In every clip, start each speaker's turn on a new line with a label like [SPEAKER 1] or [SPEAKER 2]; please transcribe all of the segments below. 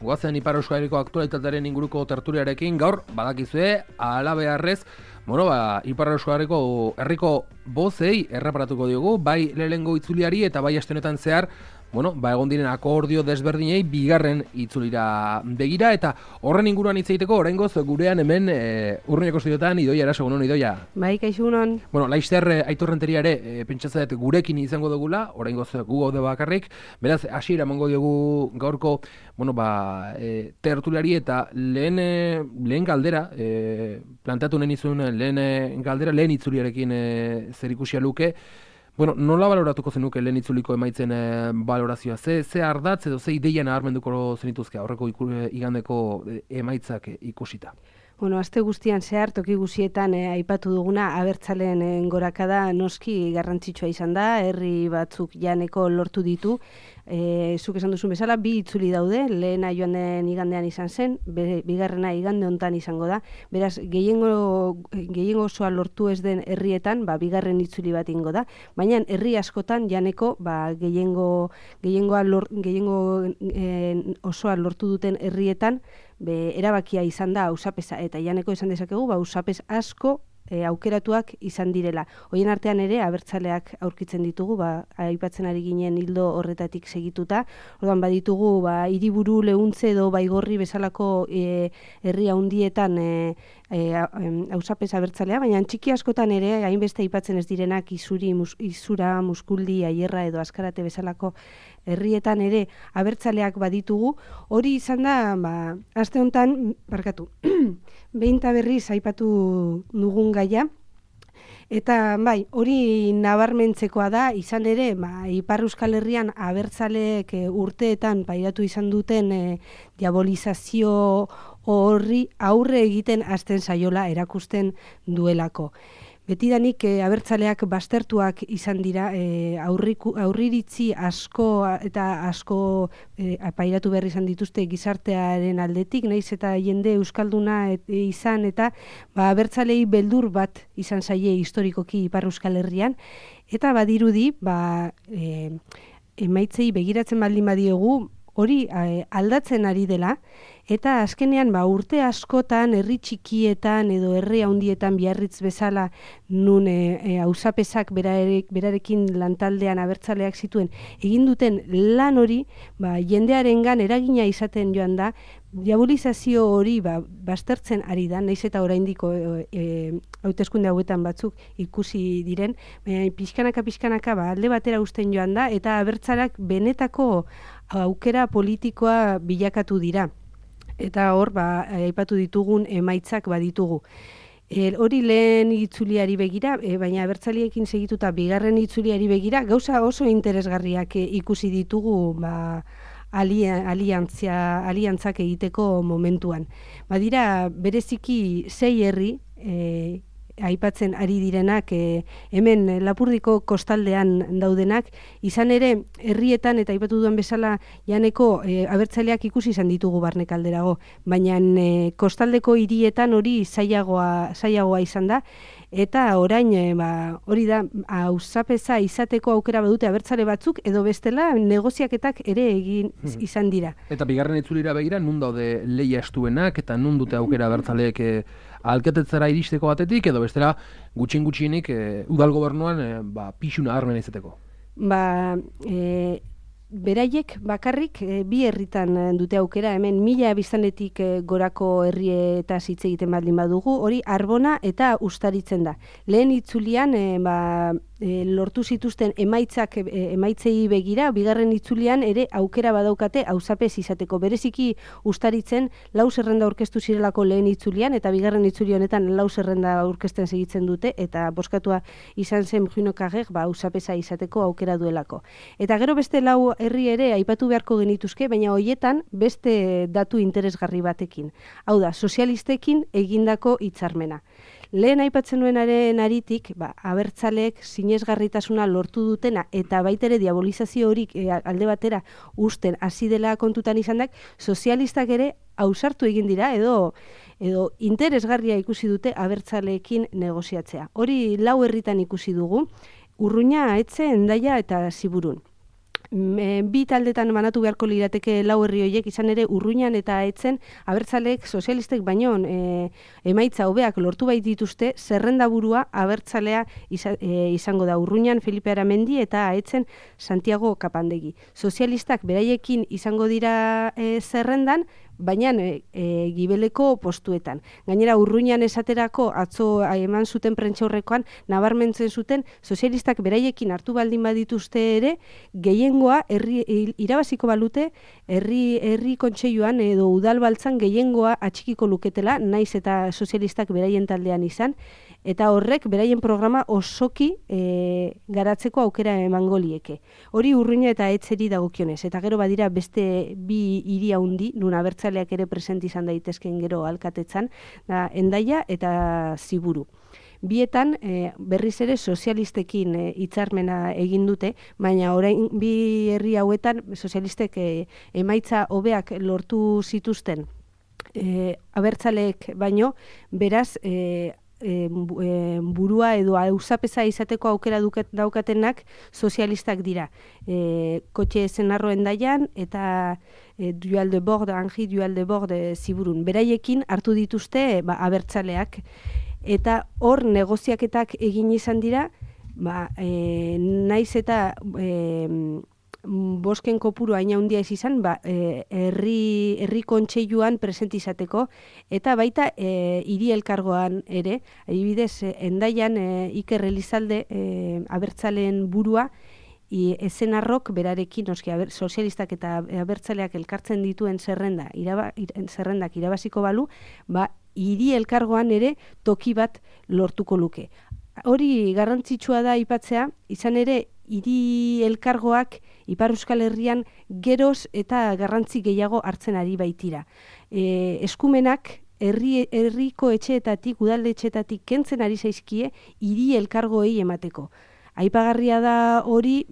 [SPEAKER 1] Guazen Ipar Euskal Herriko aktualitatearen inguruko tertuliarekin gaur badakizue halabeharrez, Ipar Euskal Herriko bozei erreparatuko diogu, bai lehenengo itzuliari eta bai aste honetan zehar, egon diren akordio desberdinei bigarren itzulira begira, eta horren inguruan hitz egiteko oraingoz gurean hemen Urruñako estudioetan Idoia Eraso, Idoia.
[SPEAKER 2] Bai, kaixo egunon.
[SPEAKER 1] Laizter Aitor Renteria ere pentsatzen dut gurekin izango dugula, oraingoz gu gaude bakarrik, beraz hasiera emango diogu gaurko tertuliari eta lehen galdera, planteatu nahi nizuen lehen galdera, lehen itzuliarekin zerikusia luke. Nola baloratuko zenuke lehen itzuliko emaitzen balorazioa? Ze ardatz edo ze ideia nabarmenduko zenituzke aurreko igandeko emaitzak ikusita?
[SPEAKER 2] Aste guztian zehar, toki guztietan aipatu duguna abertzaleen gorakada noski garrantzitsua izan da, herri batzuk janeko lortu ditu. Zuk esan duzun bezala, bi itzuli daude, lehena joan den igandean izan zen, bigarrena igande hontan izango da. Beraz, gehiengo osoa lortu ez den herrietan, bigarren itzuli bat ingo da. Baina herri askotan janeko gehiengo osoa lortu duten herrietan, erabakia izan da auzapeza, eta janeko esan dezakegu, auzapez asko aukeratuak izan direla. Horien artean ere, abertzaleak aurkitzen ditugu, aipatzen ari ginen hildo horretatik segituta. Orduan baditugu, hiriburu Leuntze edo Baigorri bezalako herri handietan auzapez abertzalea, baina txiki askotan ere, hainbeste aipatzen ez direnak Izura, Muskuldi, Aierra edo Azkarate bezalako herrietan ere abertzaleak baditugu. Hori izan da, aste honetan, behin eta berriz aipatu dugun gaia, eta hori nabarmentzekoa da, izan ere, Ipar Euskal Herrian abertzaleek urteetan pairatu izan duten diabolizazio horri aurre egiten hasten zaiola erakusten duelako. Betidanik abertzaleak baztertuak izan dira, aurriritzi asko eta asko pairatu behar izan dituzte gizartearen aldetik, nahiz eta jende euskalduna izan, eta abertzalei beldur bat izan zaie historikoki Ipar Euskal Herrian, eta badirudi, emaitzei begiratzen baldin badiogu, hori aldatzen ari dela, eta azkenean urte askotan herri txikietan edo herri handietan Biarritz bezala nun auzapezak berarekin lantaldean abertzaleak zituen egin duten lan hori jendearengan eragina izaten joan da, diabolizazio hori baztertzen ari da, nahiz eta oraindiko hauteskunde hauetan batzuk ikusi diren, pixkanaka alde batera uzten joan da, eta abertzaleak benetako aukera politikoa bilakatu dira. Eta hor, aipatu ditugun emaitzak baditugu. Hori lehen itzuliari begira, baina abertzaleekin segituta bigarren itzuliari begira, gauza oso interesgarriak ikusi ditugu aliantzak egiteko momentuan. Badira, bereziki 6 herri, aipatzen ari direnak, hemen Lapurdiko kostaldean daudenak, izan ere herrietan eta aipatu duen bezala janeko abertzaleak ikusi izan ditugu barnekalderago, baina kostaldeko hirietan hori zailagoa izan da, eta orain hori da auzapeza izateko aukera badute abertzale batzuk, edo bestela negoziaketak ere egin izan dira.
[SPEAKER 1] Eta bigarren itzulira begira, nun daude lehia estuenak, eta nun dute aukera abertzaleek alkatetzara iristeko batetik, edo bestela gutxienik udal gobernuan pixuna armena izateko?
[SPEAKER 2] Beraiek bakarrik bi herritan dute aukera, hemen 1000 biztanletik gorako herrietaz hitz egiten baldin badugu, hori Arbona eta Uztaritzen da. Lehen itzulian lortu zituzten emaitzei begira, bigarren itzulian ere aukera badaukate auzapez izateko. Bereziki Uztaritzen 4 zerrenda aurkeztu zirelako lehen itzulian, eta bigarren itzuli honetan 4 zerrenda aurkezten segitzen dute, eta bozkatua izan zen Bruno-Carrek auzapeza izateko aukera duelako. Eta gero beste 4 herri ere aipatu beharko genituzke, baina hoietan beste datu interesgarri batekin. Hau da, sozialistekin egindako hitzarmena. Lehen aipatzen nuenaren aritik, abertzaleek sinesgarritasuna lortu dutena eta baitere diabolizazio horik alde batera uzten hasi dela kontutan izandak, sozialistak ere ausartu egin dira edo interesgarria ikusi dute abertzaleekin negoziatzea. Hori 4 herritan ikusi dugu, Urruña, Etxe, Hendaia eta Ziburun. bi taldetan banatu beharko lirateke lau herri horiek, izan ere Urruñan eta Aetzen abertzaleek sozialistek baino emaitza hobeak lortu bait dituzte, zerrendaburua abertzalea izango da Urruñan Felipe Aramendi eta Aetzen Santiago Kapandegi. Sozialistak beraiekin izango dira zerrendan, baina gibeleko postuetan. Gainera, Urruñan esaterako atzo eman zuten prentxaurrekoan nabarmentzen zuten sozialistak beraiekin hartu baldin badituzte ere, gehiengoa irabaziko balute herri kontseiluan edo udalbaltzan gehiengoa atxikiko luketela, naiz eta sozialistak beraien taldean izan, eta horrek beraien programa osoki garatzeko aukera emango lieke. Hori Urruña eta Aetzeri dagokionez, eta gero badira beste bi hiri handi, nun abertzaleak ere presente izan daitezken gero alkatetzan, da Hendaia eta Ziburu. Bietan berriz ere sozialistekin hitzarmena egin dute, baina orain bi herri hauetan sozialistek emaitza hobeak lortu zituzten abertzaleek baino, beraz burua edo auzapeza izateko aukera daukatenak sozialistak dira. Kotxe Zenarro Hendaian eta Dual de Bord, Anji Dual de Bord Ziburun. Beraiekin hartu dituzte abertzaleak, eta hor negoziaketak egin izan dira, naiz eta bosken kopuru hain handia ez izan, herri kontseiluan presente izateko, eta baita hiri elkargoan ere, adibidez, Hendaian Iker Elizalde abertzaleen burua, Ezenarrok berarekin, sozialistak eta abertzaleak elkartzen dituen zerrendak irabaziko balu, hiri elkargoan ere toki bat lortuko luke. Hori garrantzitsua da aipatzea, izan ere hiri elkargoak Ipar Euskal Herrian geroz eta garrantzi gehiago hartzen ari baitira. Eskumenak herriko etxeetatik, udalde etxeetatik kentzen ari zaizkie hiri elkargoei emateko. Aipagarria da hori,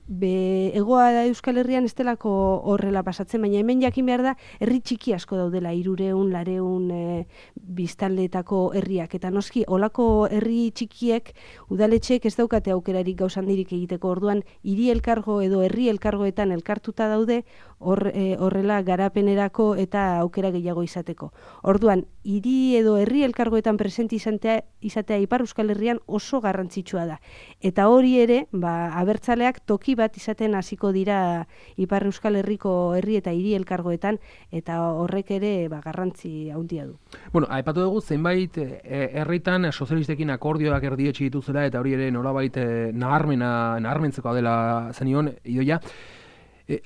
[SPEAKER 2] egoa da Euskal Herrian ez delako horrela pasatzen, baina hemen jakin behar da, herri txiki asko daudela, 300 biztanleetako herriak. Eta noski, olako herri txikiek, udaletxeek ez daukate aukerarik gauzandirik egiteko, orduan, hiri elkargo edo herri elkargoetan elkartuta daude, horrela garapenerako eta aukera gehiago izateko. Orduan, hiri edo herri elkargoetan presente izatea Ipar Euskal Herrian oso garrantzitsua da. Eta hori ere, abertzaleak toki bat izaten hasiko dira Ipar Euskal Herriko herri eta hiri elkargoetan, eta horrek ere garrantzi handia du.
[SPEAKER 1] Bueno, aipatu dugu zenbait herritan sozialistekin akordioak erdietsi dituzela, eta hori ere nolabait nabarmentzeko dela zenion Idoia.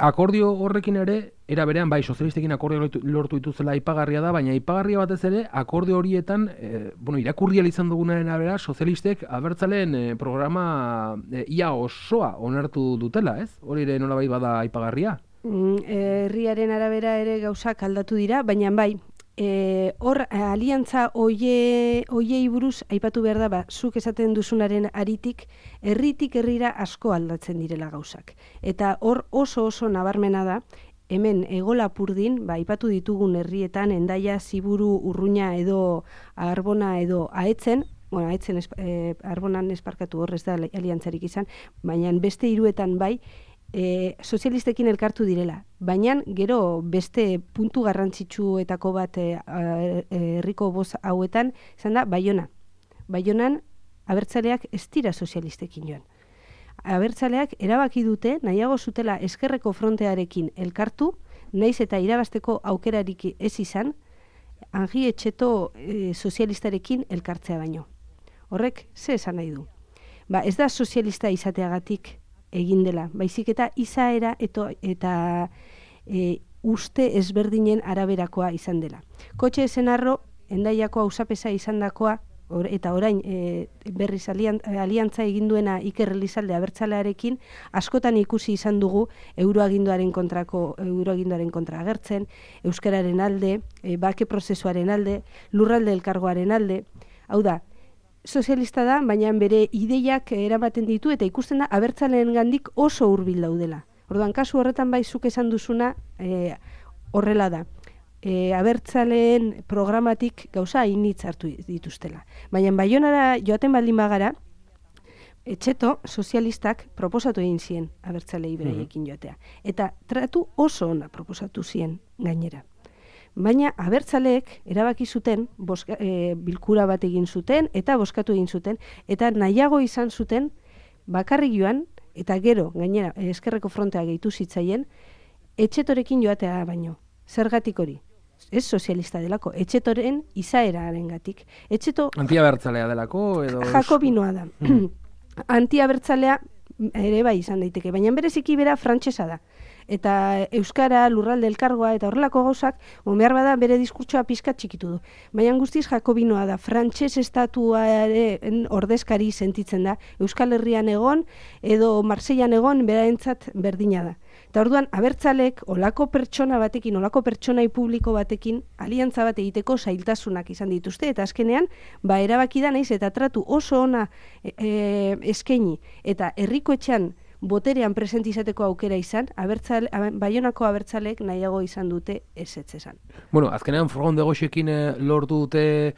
[SPEAKER 1] Akordio horrekin ere, era berean bai sozialistekin akordio lortu dituzela aipagarria da, baina aipagarria batez ere akordio horietan, irakurri izan dugunaren arabera, sozialistek abertzaleen programa ia osoa onartu dutela, ez? Hori ere nolabait bada aipagarria?
[SPEAKER 2] Herriaren arabera ere gauzak aldatu dira, baina bai, hor aliantza hoiei buruz aipatu behar da, zuk esaten duzunaren aritik, herritik herrira asko aldatzen direla gauzak. Eta hor oso nabarmena da, hemen Hego Lapurdin, aipatu ditugun herrietan, Hendaia, Ziburu, Urruña edo Arbona edo Aetzen, Aetzen Arbonan esparkatu hor ez da aliantzarik izan, baina beste hiruetan bai, sozialistekin elkartu direla. Baina gero beste puntu garrantzitsuetako bat herriko boz hauetan, izan da Baiona. Baionan abertzaleak ez dira sozialistekin joan. Abertzaleak erabaki dute, nahiago zutela Ezkerreko Frontearekin elkartu, naiz eta irabazteko aukerarik ez izan, Anji Etxeto sozialistarekin elkartzea baino. Horrek, ze esan nahi du? Ez da sozialista izateagatik egin dela, baizik eta izaera eta uste ezberdinen araberakoa izan dela. Kotxe Zenarro, Hendaiako auzapeza izandakoa, eta orain berriz aliantza egin duena Iker Elizalde abertzalearekin, askotan ikusi izan dugu euroaginduaren kontra agertzen, euskararen alde, bake prozesuaren alde, lurralde elkargoaren alde. Hau da, sozialista da, baina bere ideiak eramaten ditu eta ikusten da abertzaleen gandik oso hurbil daudela. Orduan, kasu horretan bai zuk esan duzuna horrela da. Abertzaleen programatik gauza hainitz hartu dituztela. Baina Baionara joaten baldin bagara, Etxeto sozialistak proposatu egin zien abertzalei beraiekin joatea. Eta tratu oso ona proposatu zien gainera. Baina abertzaleek erabaki zuten, bilkura bat egin zuten eta bozkatu egin zuten, eta nahiago izan zuten bakarrik joan, eta gero, gainera, Ezkerreko Frontea gehitu zitzaien, Etxetorekin joatea baino. Zergatik hori? Ez sozialista delako, Etxetoren izaerarengatik. Etxeto
[SPEAKER 1] antiabertzalea delako edo
[SPEAKER 2] jakobinoa da. Antiabertzalea ere bai izan daiteke, baina bereziki bera frantsesa da. Eta euskara, lurralde elkargoa eta horrelako gauzak, behar bada bere diskurtsoa pizkat txikitu du. Baina guztiz jakobinoa da, frantses estatuaren ordezkari sentitzen da, Euskal Herrian egon edo Marseillan egon berarentzat berdina da. Eta orduan, abertzalek olako pertsona batekin, olako pertsonai publiko batekin, aliantza bat egiteko zailtasunak izan dituzte, eta azkenean, erabaki da naiz eta tratu oso ona eskaini, eta herriko etxean boterean presente izateko aukera izan, Baionako abertzalek nahiago izan dute ezetz esan.
[SPEAKER 1] Bueno, azkenean Frogon de Goxekin lortu dute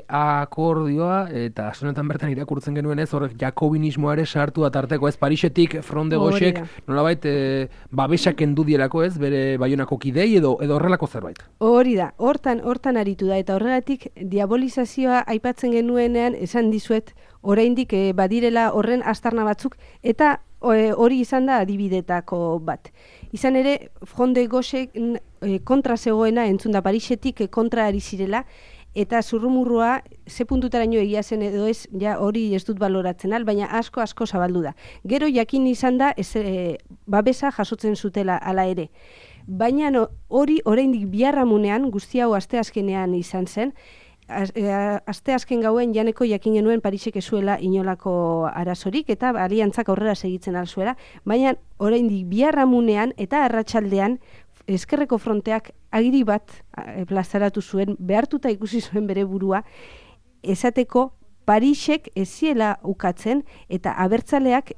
[SPEAKER 1] akordioa, eta asonetan bertan irakurtzen genuen ez, horrek jakobinismoa ere sartu atarteko ez, Parisetik Frogon de Goxek nolabait babesak kendu dielako ez, bere Baionako kidei edo horrelako zerbait.
[SPEAKER 2] Hori da, hortan aritu da, eta horregatik diabolizazioa aipatzen genuenean esan dizuet, oraindik badirela horren aztarna batzuk, eta hori izan da adibidetako bat. Izan ere, Front de Gauchek kontra zegoena, entzun da Parisetik kontra ari zirela, eta zurrumurrua ze puntutaraino egia zen edo ez, ja hori ez dut baloratzen baina asko zabaldu da. Gero jakin izan da, babesa jasotzen zutela hala ere. Baina hori oraindik biharramunean, guzti hau asteazkenean izan zen, asteazken gauen janeko jakin genuen Parisek ezuela inolako arazorik eta aliantzak aurrera segitzen alzuela, baina oraindik biharramunean eta arratsaldean Ezkerreko Fronteak agiri bat plazaratu zuen, behartuta ikusi zuen bere burua, esateko Parisek ez ziela ukatzen eta abertzaleak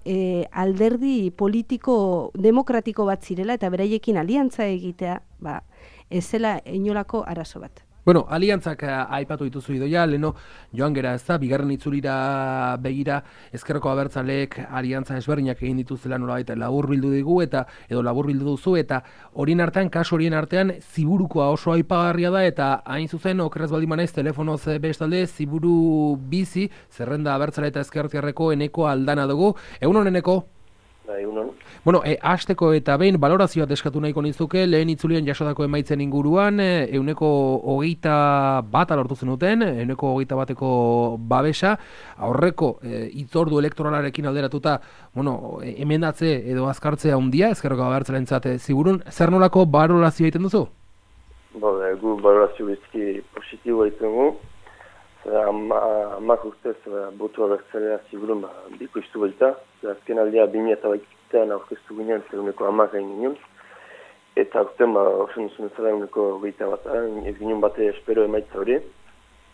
[SPEAKER 2] alderdi politiko demokratiko bat zirela eta beraiekin aliantza egitea ez zela inolako arazo bat.
[SPEAKER 1] Bueno, aliantzak aipatu dituzu Idoia, leno joan gera ez da, bigarren itzulira begira Ezkerreko abertzaleek aliantza ezberdinak egin dituzela nolabait laburbildu digu edo laburbildu duzu eta horien artean, kasu horien artean Ziburukoa oso aipagarria da eta hain zuzen okerrez baldin banaiz telefonoz bestalde Ziburu bizi zerrenda abertzale eta ezkertiarreko Eneko Aldana dugu. Egunon Eneko? Bueno, hasteko eta behin balorazio bat eskatu nahiko nizuke, lehen itzulian jasotako emaitzen inguruan, 21 lortu zenuten, 21 babesa, aurreko hitzordu elektoralarekin alderatuta, bueno, emendatze edo azkartzea handia, Ezkerreko abertzalentzat Ziburun, zer nolako balorazio egiten duzu?
[SPEAKER 3] Gu balorazio bizki positibo egiten gu, amak urtez botu abertzalea Ziburun biko iztu baita, azken aldea 2008an aurkeztu ginen, zeruneko amak egin ginen, eta urten osen duzun ezala eguneko 21, ez ginen bate espero emaitza hori,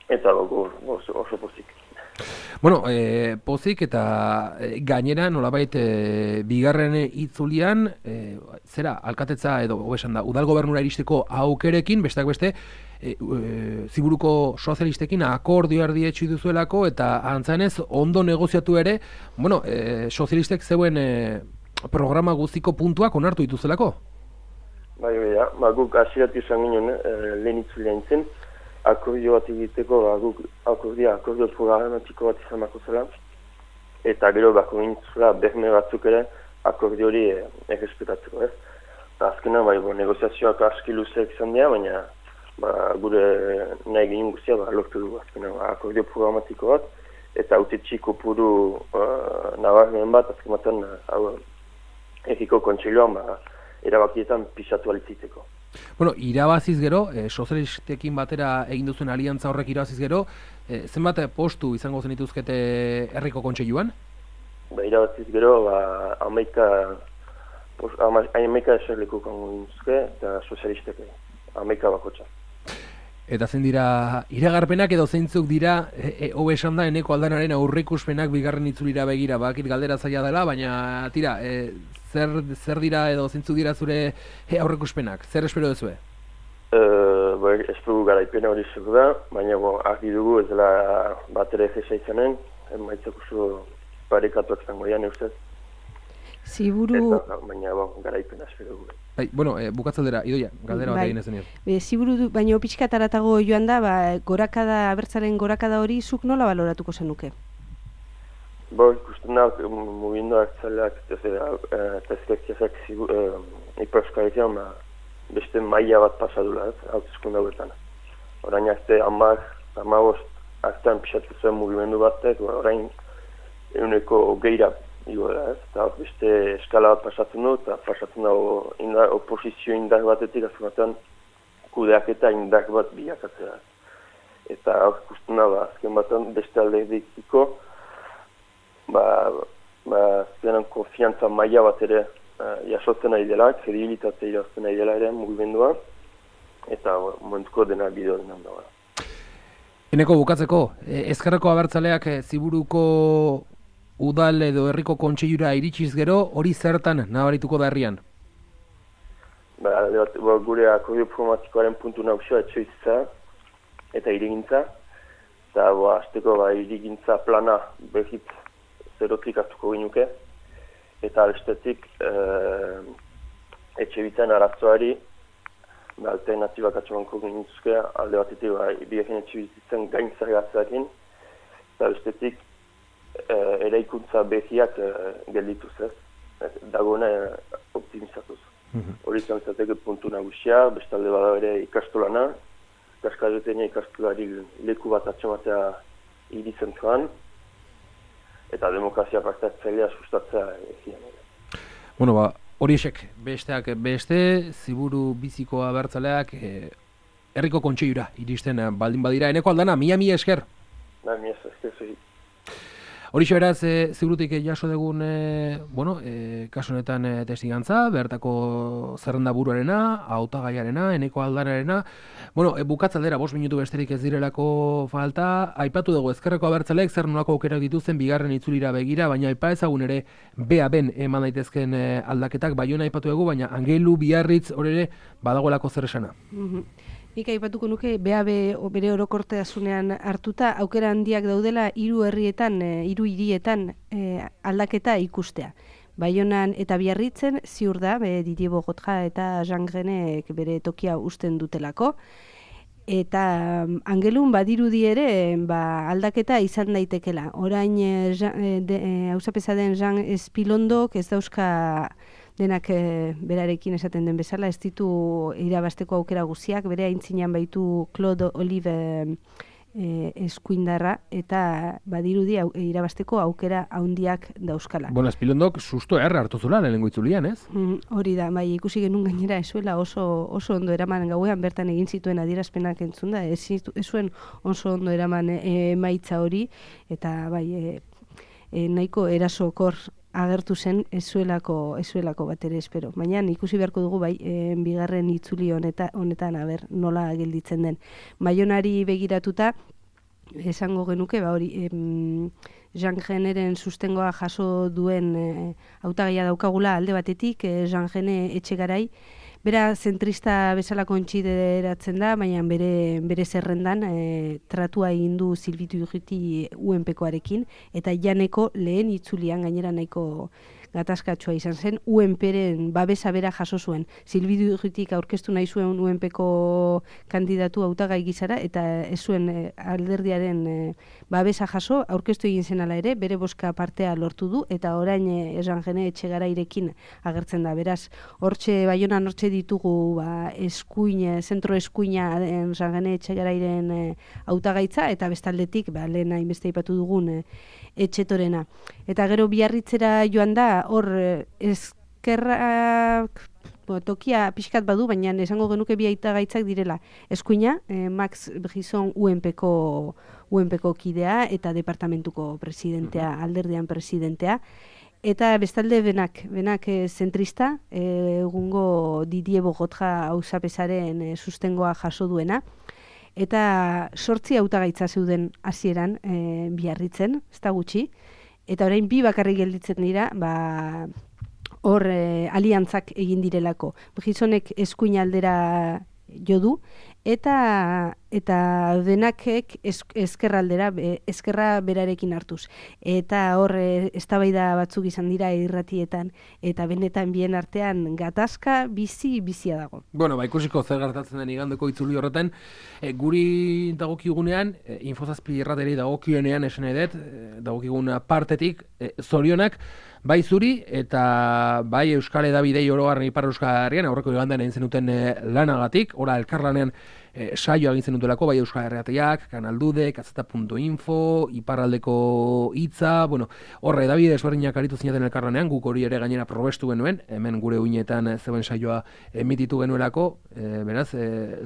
[SPEAKER 3] eta oso pozik.
[SPEAKER 1] Bueno, pozik eta gainera nolabait bigarren itzulian, zera, alkatetza edo hobesan da, udal gobernura iristeko aukerekin, besteak beste, Ziburuko sozialistekin akordio erdietxu duzuelako eta antzanez ondo negoziatu ere, bueno, sozialistek zeuen programa guztiko puntuak onartu dituzelako?
[SPEAKER 3] Guk asiratu izan ginen lehen itzulean zen, akordio bat egiteko guk akordio programatiko bat izan bako zela, eta gero bako gintzula berme batzuk ere akordio hori errespetatzeko ez. Azkenan negoziazioak aski luzeak izan dira, baina gure nahi ginen guztia lortu dugu azkenan akordio programatiko bat, eta autetxiko puru nabarmen bat azkematen erriko kontseiluan erabakietan pisatu alitziteko.
[SPEAKER 1] Bueno, irabaziz gero, sozialistekin batera egin duzuen aliantza horrek irabaziz gero, zenbat postu izango zen dituzkete herriko kontseiluan?
[SPEAKER 3] Irabaziz gero, 11 eserleku kango dituzke, eta sozialistek 11 bakotxa.
[SPEAKER 1] Eta zen dira iragarpenak edo zeintzuk dira, hobe esan da Eneko Aldanaren aurreikuspenak bigarren itzulira begira, bakit galdera zaila dela, baina tira, zer dira edo zeintzuk dira zure aurreikuspenak? Zer espero duzue?
[SPEAKER 3] Espero garaipena hori zego da, baina argi dugu ez dela bat ere egesa izanen, maitzak oso parekatuak zango dian, ustez.
[SPEAKER 2] Ziburu...
[SPEAKER 3] Baina, garaipen espero dugu.
[SPEAKER 1] Bueno, bukatzaldera, Idoia, galdera bat egin ezen nire.
[SPEAKER 2] Ziburu, baina pixkataratago joan da, gorakada, abertzalen gorakada hori, zuk nola baloratuko zenuke?
[SPEAKER 3] Ikusten da, mugimendu abertzaleak, tezkektiazak Ipar Euskal Herrian, beste maila bat pasadula, hautezkunde hauetan. Orain azte, 15 aztean pixatu zuen mugimendu batek, orain eguneko geira igo da, eta beste eskala bat pasatzen du, eta pasatzen da oposizio indar batetik, azkenetan kudeaketa indar bat bilakatzea. Eta ikusten da, azken batean beste alderdikiko, azkenan konfiantza maila bat ere jasotzen nahi dela, kredibilitate irazten nahi dela ere mugimendua, eta momentuko dena bideo denan da.
[SPEAKER 1] Eneko bukatzeko, ezkerreko abertzaleak Ziburuko udal edo herriko kontseilura iritsiz gero, hori zertan nabarituko da herrian?
[SPEAKER 3] Gure akordio programatikoaren puntu nagusia etxoizitza eta hirigintza, eta azteko hirigintza plana behit zerotik hartuko ginuke, eta bestetik etxe bitzen arazoari alternatibak atxamanko gintzuzke, alde batetik birekin etxe bizitzen gain zergatzeakin, eta bestetik eraikuntza behiak geldituz ez, dagoena optimizatuz. Hori zantzateke puntu nagusia, bestalde bada ere ikastolana, ikaskadetenia ikastolari leku bat atxamatea hiri zentroan, eta demokrazia partatzailea sustatzea egian.
[SPEAKER 1] Bueno, horiexek, besteak beste, Ziburu biziko abertzaleak herriko kontseilura iristen baldin badira. Eneko Aldana, mila esker.
[SPEAKER 3] Mila esker zuri.
[SPEAKER 1] Horixe beraz, Ziburutik jaso dugun, kasu honetan testigantza, bertako zerrenda buruarena, hautagaiarena, Eneko Aldanarena. Bukatzaldera, 5 minutu besterik ez direlako falta. Aipatu dugu ezkerreko abertzaleek zer nolako aukerak dituzten bigarren itzulira begira, baina aipa ezagun ere BA-ben eman daitezken aldaketak, Baiona aipatu dugu, baina Angelu, Biarritz, hor ere badagoelako zer esana.
[SPEAKER 2] Nik aipatuko nuke, BAB bere orokortasunean hartuta, aukera handiak daudela 3 herrietan, 3 hirietan aldaketa ikustea. Baionan eta Biarritzen ziur da, Didier Bogotja eta Jean Grenek bere tokia usten dutelako. Eta Angelun badirudi ere aldaketa izan daitekela. Orain hauzapeza den Jean Espilondok ez dauzka denak berarekin esaten den bezala, ez ditu irabasteko aukera guziak, bere aintzinean baitu Claude Olive eskuindarra, eta badirudi irabasteko aukera handiak dauzkala.
[SPEAKER 1] Espilondok susto hartu zula lehenengo itzulian, ez?
[SPEAKER 2] Hori da, ikusi genuen gainera ezuela oso ondo eraman gauean bertan egin zituen adierazpenak entzunda, ez zuen oso ondo eraman emaitza hori, eta nahiko erasokor agertu zen ezuelako bat ere espero. Baina ikusi beharko dugu bigarren itzuli honetan nola gelditzen den. Baionari begiratuta esango genuke Jean Generen sustengoa jaso duen hautagaia daukagula alde batetik, Jean Gene Etxegarai, bera zentrista bezala kontsideratzen da, baina bere zerrendan tratua egin du Silbitu Urruti UNPkoarekin, eta janeko lehen itzulian gainera nahiko gatazkatsua izan zen, UNPren babesa bera jaso zuen. Silbitu Urrutik aurkeztu nahi zuen UNPko kandidatu hautagai gizara, eta ez zuen alderdiaren babesa jaso, aurkeztu egin zen ala ere, bere boska partea lortu du, eta orain Jean Gene Etxegarairekin agertzen da. Beraz, Baionan hortxe ditugu zentro eskuina Jean Gene Etxegarairen hautagaitza, eta bestaldetik lehen hainbeste aipatu dugun Etxetorena. Eta gero Biarritzera joan da, hor ezkerrak tokia pixkat badu, baina esango genuke bi hautagaitzak direla. Eskuina, Max Brisson UNPko kidea eta departamentuko presidentea, alderdian presidentea. Eta bestalde benak zentrista, egungo Didier Bogotja hauzapezaren sustengoa jaso duena. Eta 8 hautagaitza zeuden hasieran Biarritzen, ez da gutxi. Eta orain 2 bakarrik gelditzen dira, hor aliantzak egin direlako. Brisonek eskuin aldera jo du, eta eta denakek ezkerraldera, ezkerra berarekin hartuz. Eta hor eztabaida batzuk izan dira irratietan, eta benetan bien artean gatazka bizia dago.
[SPEAKER 1] Bueno, ikusiko zer gertatzen den igandeko itzuli horretan, guri dagokigunean, Info7 irrateri dagokionean esan edet, dagokigun partetik, zorionak, bai zuri eta bai Euskal Hedabidei orogarren Ipar Euskal Herrian aurreko igandean egin zenuten lanagatik, ora elkarlanean saio egin zenutelako, bai Euskal Herriateak, Kanaldude, Kazeta.info, Iparraldeko Hitza, bueno, horre Hedabide desberdinak aritu zinaten elkarlanean, guk hori ere gainera probestu genuen, hemen gure uinetan zeuen saioa emititu genuelako, beraz,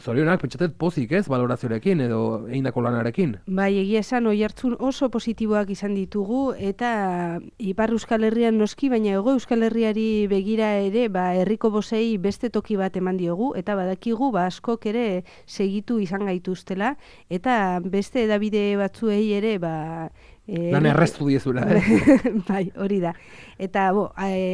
[SPEAKER 1] zorionak, pentsatet pozik ez, balorazioarekin edo egindako lanarekin.
[SPEAKER 2] Bai, egia esan, oihartzun oso positiboak izan ditugu, eta Ipar Euskal Herrian noski, baina Hego Euskal Herriari begira ere, herriko bosei beste toki bat eman diogu, eta badakigu, askok ere segitu izan gaituztela, eta beste hedabide batzuei ere,
[SPEAKER 1] lan erreztu diezula,
[SPEAKER 2] Bai, hori da. Eta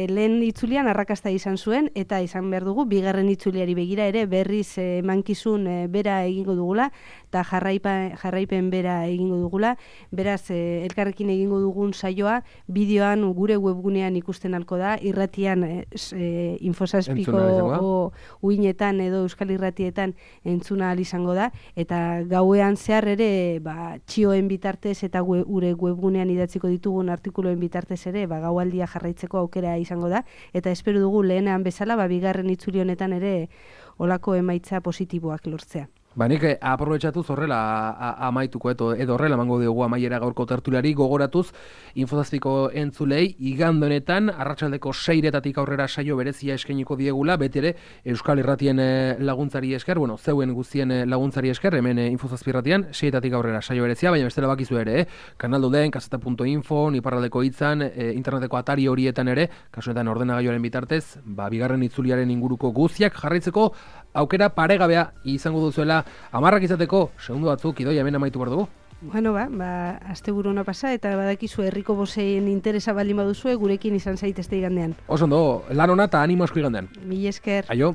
[SPEAKER 2] lehen itzulian arrakasta izan zuen, eta izan behar dugu, bigarren itzuliari begira ere berriz emankizun bera egingo dugula, eta jarraipen bera egingo dugula. Beraz, elkarrekin egingo dugun saioa, bideoan gure webgunean ikusten alko da, irratian Info7ko uinetan edo Euskal Irratietan entzuna izango da, eta gauean zehar ere txioen bitartez eta gure webgunean idatziko ditugun artikuloen bitartez ere gaualdia jarraitzeko aukera izango da, eta espero dugu lehenean bezala bigarren itzuli honetan ere olako emaitza positiboak lortzea.
[SPEAKER 1] Nik aprobetxatuz horrela amaituko edo horrela emango diogu amaiera gaurko tertuliari gogoratuz Info7ko entzulei igande honetan arratsaldeko 6:00 aurrera saio berezia eskainiko diegula, beti ere Euskal Irratien laguntzari esker, zeuen guztien laguntzari esker, hemen Info7 irratian 6:00 aurrera saio berezia, baina bestela bakizu ere, Kanalduden, Kazeta.info, Iparraldeko Hitzan, interneteko atari horietan ere, kasuetan ordenagailuaren bitartez, bigarren itzuliaren inguruko guztiak jarraitzeko aukera paregabea izango duzuela 10 izateko, segundo batzuk Idoia hemen amaitu behar dugu.
[SPEAKER 2] Bueno, asteburu ona pasa, eta badakizu herriko boseien interesa baldin baduzue, gurekin izan zaitezte igandean.
[SPEAKER 1] Oso ondo, lan ona eta animo asko igandean.
[SPEAKER 2] Mila esker.
[SPEAKER 1] Aio.